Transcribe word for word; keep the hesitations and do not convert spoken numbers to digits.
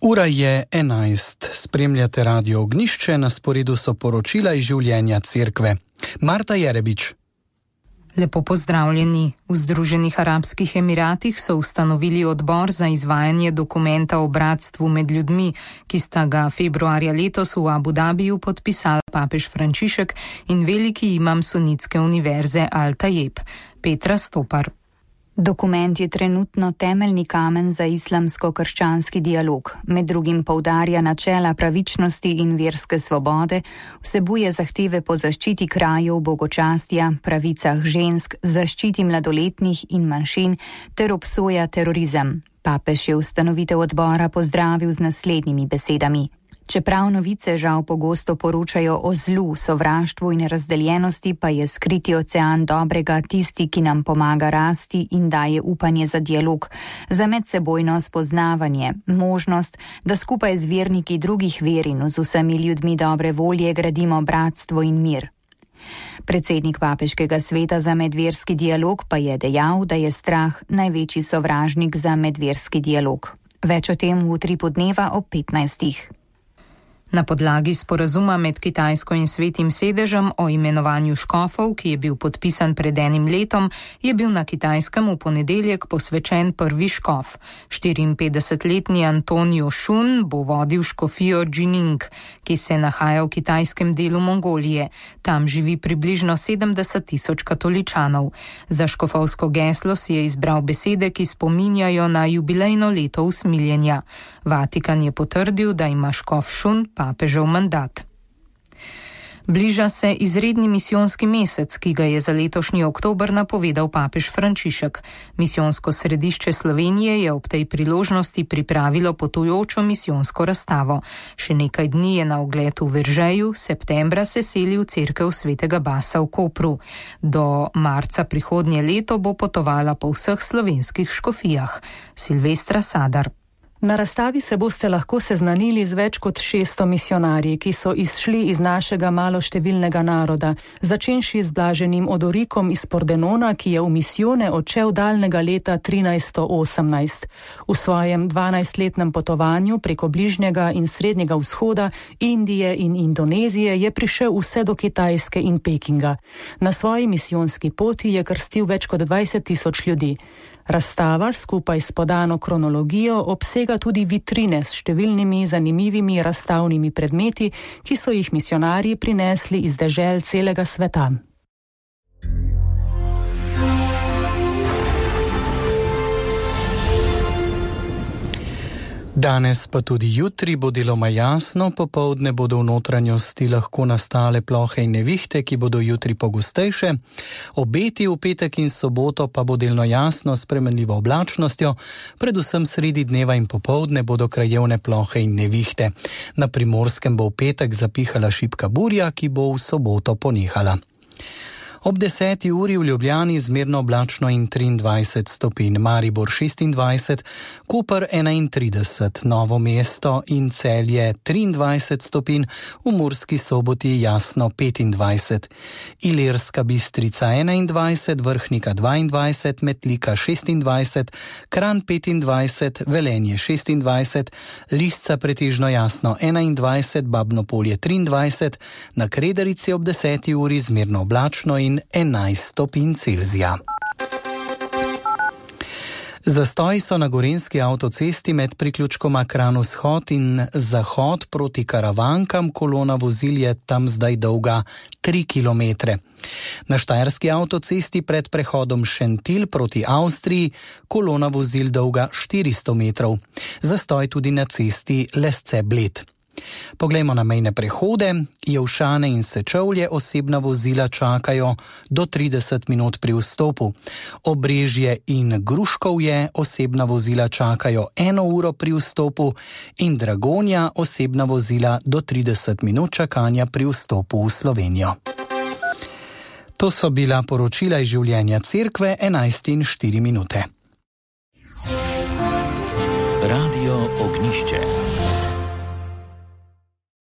Ura je enajst. Spremljate Radio Ognjišče, na sporedu so poročila iz življenja cerkve. Marta Jerebič. Lepo pozdravljeni. V Združenih arabskih emiratih so ustanovili odbor za izvajanje dokumenta o bratstvu med ljudmi, ki sta ga februarja letos v Abu Dhabiju podpisala papež Frančišek in veliki imam sunitske univerze Al-Tajeb. Petra Stopar. Dokument je trenutno temeljni kamen za islamsko-krščanski dialog. Med drugim poudarja načela pravičnosti in verske svobode, vsebuje zahteve po zaščiti krajev bogočastja, pravicah žensk, zaščiti mladoletnih in manjšin ter obsoja terorizem. Papež je ustanovitev odbora pozdravil z naslednjimi besedami. Čeprav novice žal pogosto poročajo o zlu, sovraštvu in razdeljenosti, pa je skriti ocean dobrega tisti, ki nam pomaga rasti in daje upanje za dialog, za medsebojno spoznavanje, možnost, da skupaj z verniki drugih ver in z vsemi ljudmi dobre volje gradimo bratstvo in mir. Predsednik papeškega sveta za medverski dialog pa je dejal, da je strah največji sovražnik za medverski dialog. Več o tem v utripu dneva ob petnajstih. Na podlagi sporazuma med Kitajsko in Svetim sedežem o imenovanju škofov, ki je bil podpisan pred enim letom, je bil na Kitajskem v ponedeljek posvečen prvi škof. štiriinpetdesetletni Antonio Shun bo vodil škofijo Jining, ki se nahaja v kitajskem delu Mongolije. Tam živi približno sedemdeset tisoč katoličanov. Za škofovsko geslo si je izbral besede, ki spominjajo na jubilejno leto usmiljenja. Vatikan je potrdil, da ima škof Shun papežev mandat. Bliža se izredni misijonski mesec, ki ga je za letošnji oktober napovedal papež Frančišek. Misijonsko središče Slovenije je ob tej priložnosti pripravilo potujočo misijonsko razstavo. Še nekaj dni je na ogled v Veržeju, septembra se seli v cerkev svetega Basa v Kopru. Do marca prihodnje leto bo potovala po vseh slovenskih škofijah. Silvestra Sadar. Na razstavi se boste lahko seznanili z več kot šeststo misijonarji, ki so izšli iz našega maloštevilnega naroda, začenši z blaženim Odorikom iz Pordenona, ki je v misijone odšel daljnega leta trinajststo osemnajst. V svojem dvanajstletnem potovanju preko Bližnjega in Srednjega vzhoda, Indije in Indonezije je prišel vse do Kitajske in Pekinga. Na svoji misijonski poti je krstil več kot dvajset tisoč ljudi. Razstava skupaj s podano kronologijo obsega tudi vitrine s številnimi zanimivimi razstavnimi predmeti, ki so jih misijonarji prinesli iz dežel celega sveta. Danes pa tudi jutri bo deloma jasno, popoldne bodo v notranjosti lahko nastale plohe in nevihte, ki bodo jutri pogostejše. Obeti v petek in soboto pa bo delno jasno s spremenljivo oblačnostjo, predvsem sredi dneva in popoldne bodo krajevne plohe in nevihte. Na Primorskem bo v petek zapihala šibka burja, ki bo v soboto ponehala. Ob deseti uri v Ljubljani zmerno oblačno in triindvajset stopinj, Maribor šestindvajset, Koper enaintrideset, Novo mesto in Celje triindvajset stopinj, v Murski Soboti jasno petindvajset, Ilirska Bistrica enaindvajset, Vrhnika dvaindvajset, Metlika šestindvajset, Kranj petindvajset, Velenje šestindvajset, Lisca pretežno jasno enaindvajset, Babno Polje triindvajset, na Kredarici ob deseti uri zmerno oblačno in enajst stopinj Celzija. Zastoji so na gorenjski avtocesti med priključkoma Kranj-Vzhod in Zahod proti Karavankam, kolona vozil je tam zdaj dolga tri kilometre. Na štajerski avtocesti pred prehodom Šentilj proti Avstriji, kolona vozil dolga štiristo metrov. Zastoj tudi na cesti Lesce-Bled. Poglejmo na mejne prehode. Jelšane in Sečovlje osebna vozila čakajo do trideset minut pri vstopu. Obrežje in Gruškovje osebna vozila čakajo eno uro pri vstopu in Dragonja osebna vozila do trideset minut čakanja pri vstopu v Slovenijo. To so bila poročila iz življenja cerkve, enajst in štiri minute. Radio Ognjišče.